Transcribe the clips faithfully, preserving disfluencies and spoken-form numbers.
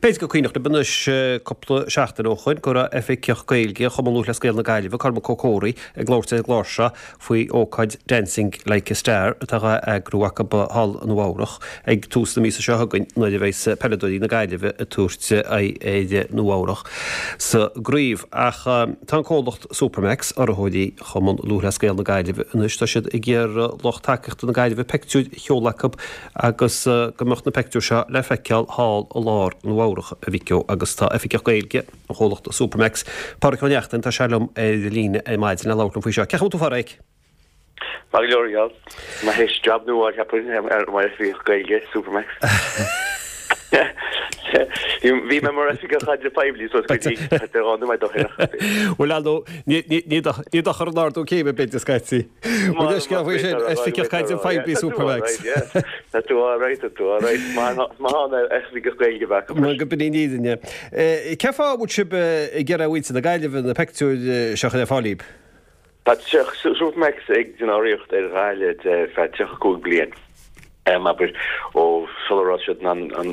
B'fhéidir gur cuimhneach libh anois cúpla seachtain ó shoin go raibh Oifigeach Gaeilge Chumann Lúthchleas Gael na Gaillimhe, Cormac Ó Comhraí, ag labhairt ar an gclár seo faoi ócáid Dancing Like a Star atá á eagrú acu thall i Nua Eabhrach ag tús na míosa seo chugainn nuair a bheas peileadóirí na Gaillimhe ag tabhairt aghaidh ar Nua Eabhrach sa gcraobh. Ach tá an comhlacht Supermacs, urraitheoirí Chumann Lúthchleas Gael na Gaillimhe anois, tá siad ag iarraidh lucht tacaíochta na Gaillimhe peictiúir a sheoladh acu agus go mbeadh na peictiúir seo le feiceáil thall i lár Nua Eabhrach a Mhic Ó agus tá Oifigeach Gaeilge an chomhlachta Supermacs, Pádraic Ó Neachtain, tá sé liom ar líne ar maidin le labhairt liom faoi seo. Cén chaoi a bhfuil tú a Phádraic? Maith go leor gheall. Má théis job nua a cheapadh ar mar Oifigeach Gaeilge Supermacs. Bhí mé mar Oifigeach Caidrimh Poiblí suas go dtí dhá nóiméad ó shin. Bhuel ar ndóigh, ní dochar an ardú céime b'fhéidir scaití. Bhuel scéal faoi sin, Oifigeach Caidrimh Poiblí Supermacs. Tá tú alright, tá tú alright. Maith an Oifigeach Gaeilge bheith acu. Mar go b'in í an fhírinne. Cén fáth a bhfuil sibh ag iarraidh ar mhuintir na Gaillimhe na peictiúir seo a chur ar fáil daoibh? Tá Supermacs ag déanamh urraíocht ar Ghaillimh ar feadh tríocha cúig bliain, abair, ó sula raibh siad in ann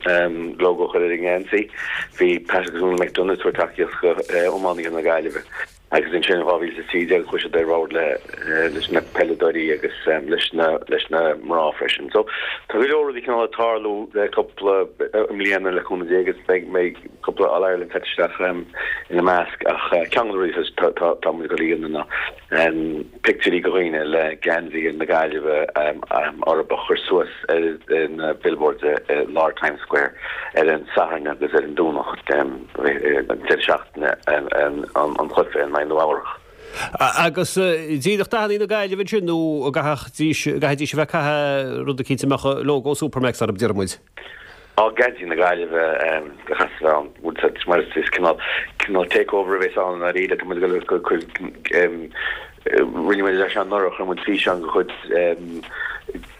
an logo a chur ar an ngeansaí. Bhí Pat agus Úna McDonagh ag tabhairt tacaíocht do iománaithe na Gaillimhe agus ansin in dhá mhíle is a trí déag chuaigh siad ar bord leis na peileadóirí agus leis na leis na mná freisin. So tá go leor rudaí cineál ag tarlú le cúpla mbliana le cúnamh Dé agus beidh beidh cúpla All Ireland caite isteach ina measc ach ceann de na rudaí atá tá muid ag dul a dhéanamh ná pictiúirí de dhaoine le geansaí na Gaillimhe orthu a chur suas ar na billboards i lár Times Square ar an Satharn agus ar an Domhnach an deireadh seachtaine an chluiche in aghaidh Nua Eabhrach. Agus díreach dathanna na Gaillimhe ansin nó an gcaithfidís a bheith ag caitheamh rud eicínt a mbeadh lógó Supermacs orthu, deir muid? Á, geansaí na Gaillimhe a chaithfeas a bheith ann, bhuel tá mar is cineál cineál takeover a bheas ann i ndáiríre, tá muid ag dul ag cur rinne muid é seo anuraidh, chuir muid físeán de chuid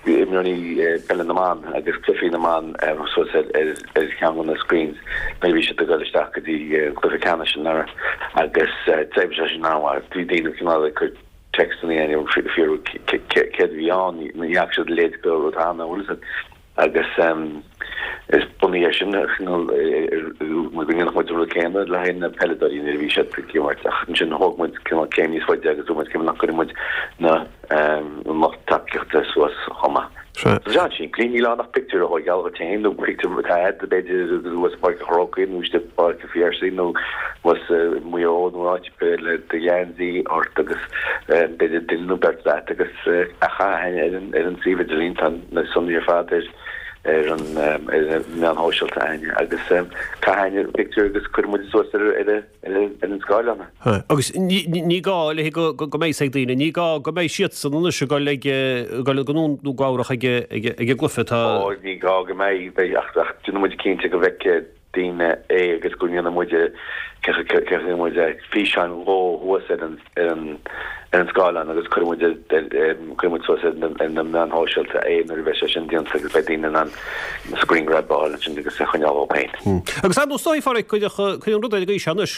imreoirí peile na mban agus cluichí na mban suas ar ar cheann de na screens nuair a bhí siad ag dul isteach go dtí an cluiche ceannais anuraidh agus d'oibrigh sé sin an-mhaith, bhí daoine cineál ag cur téacsanna ag fiafraí céard a bhí ann, ní fhaca siad a leithéid de rud cheana, bhfuil fhios agat. Agus is bunaithe air sin go ndéanfadh muid an rud céanna le haghaidh na peileadóirí nuair a bhí siad ag imirt ach ansin thóg muid cineál céim níos faide agus dúirt muid cé nach gcuireann muid na an lucht tacaíochta suas chomh maith. Tá sé an-simplí, níl ann ach pictiúr a thógáil dhuit féin nó pictiúr atá agat b'fhéidir agus thuas i bPáirc an Chrócaigh nó istigh i bPáirc an Phiarsaigh nó thuas i Maigh Eo nó áit ar bith le do gheansaí ort agus b'fhéidir duine nó beirt leat agus a chaitheamh ar an ar an suíomh idirlín tá na sonraí ar fad ar ar an ar na meáin shóisialta againne agus caith an pictiúr agus cuirfidh muid suas ar ar ar ar an scáileán é. Agus ní ní gá le go go mbeidh ag daoine, ní gá go mbeidh siadsan anois ag dul ag dul go Nua Eabhrach ag ag ag an gcluiche atá Ó ní gá go mbeidh beidh ach ach déanfaidh muid cinnte go bhfeicfidh daoine é agus go ndéanfaidh muid cé muid físeán dhó thuas ar an ar an ar an scáileán agus cuirfidh muid cuirfidh muid suas ar na ar na meáin shóisialta é nuair a bheidh sé sin déanta agus beidh daoine in ann screen grab a fháil ansin agus é a choinneáil dhóibh féin. Agus ar ndóigh is dóigh a Phádraic cuirfidh cuirfidh an rud ar an gcaoi seo anois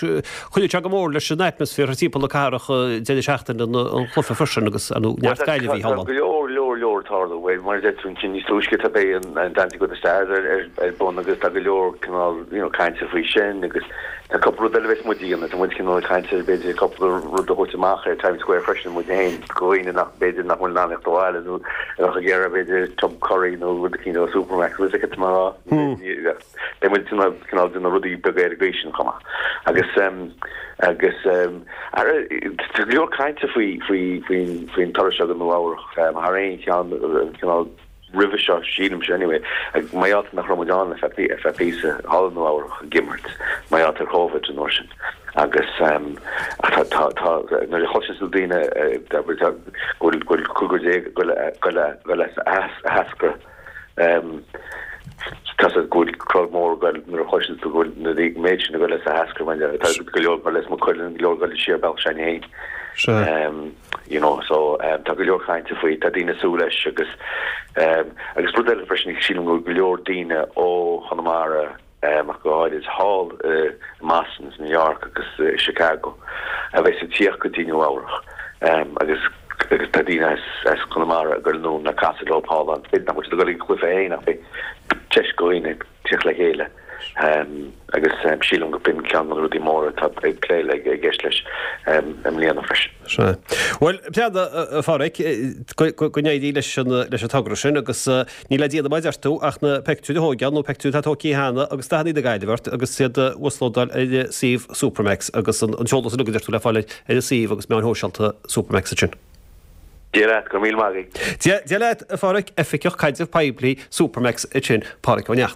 cuirfidh sé go mór leis an atmaisféar thar timpeall na cathrach deireadh seachtaine an chluiche freisin agus ar ndóigh neart Gaillimhigh thall ann. Tá go leor leor leor ag tarlú. Mar a deir tú ansin níos túisce tá beidh an Dancing with the Stars ar ar ar bun agus tá go leor cineál you know cainte faoi sin agus tá cúpla rud eile a bheas muid a dhéanamh. Tá muid cineál ag caint ar b'fhéidir cúpla rud a thabhairt amach ar Times Square freisin muid féin do dhaoine nach b'fhéidir nach bhfuil in ann theacht abhaile nó a bheadh ag iarraidh b'fhéidir tub curry nó rud eicínt ó Supermacs bhfuil fhios agat mar a beidh muid cineál cineál déanamh rudaí beaga ar an gcaoi sin chomh maith. Agus agus ara tá go leor cainte faoi faoi faoin faoin turas seo go Nua Eabhrach thar aon cheann cineál roimhe seo, sílimse anyway, mar gheall nach raibh muid ann ar feadh ar feadh píosa thall i Nua Eabhrach ag imirt mar gheall ar Covid an uair sin agus ach tá tá tá nuair a chloiseann tú daoine go bhfuil go bhfuil cúigear déag ag dul ag dul as a heascra tá go bhfuil crowd mór ag dul nuair a chloiseann tú go bhfuil na méid sin ag dul as a heascra mar tá go leor ag dul as Maigh Cuilinn go leor ag dul siar bealach s'againne féin. you know so tá go leor cainte faoi, tá daoine ag súil leis agus agus rud eile freisin sílim go bhfuil go leor daoine ó Chonamara ach go háirid thall i mBoston is New York agus i Chicago a bheas ag tíocht go dtí Nua Eabhrach agus agus tá daoine as as Conamara ag dul anonn le casadh leo thall ann. B'fhéidir nach bhfuil siad ag dul ag an chluiche féin ach beidh deis do dhaoine tíocht le chéile. Agus sílim go b'in ceann de na rudaí móra atá ag plé le i gceist leis i mbliana freisin. Sea. Bhuel, a Pháraic, go n-éirí leis an leis an togra sin agus níl le déanamh mar a deir tú ach na peictiúir a thógáil nó peictiúir atá tógtha cheana agus dathanna na Gaillimhe ort agus iad a uaslódáil ar suíomh Supermac's agus an t-eolas uilig a deir tú le fáil ar an suíomh agus meáin shóisialta Supermac's ansin. Dia leat, go raibh míle maith agat. Dia leat, a Pháraic, Oifigeach Caidreamh Poiblí Supermac's ansin, Páraic Ó Neachtain.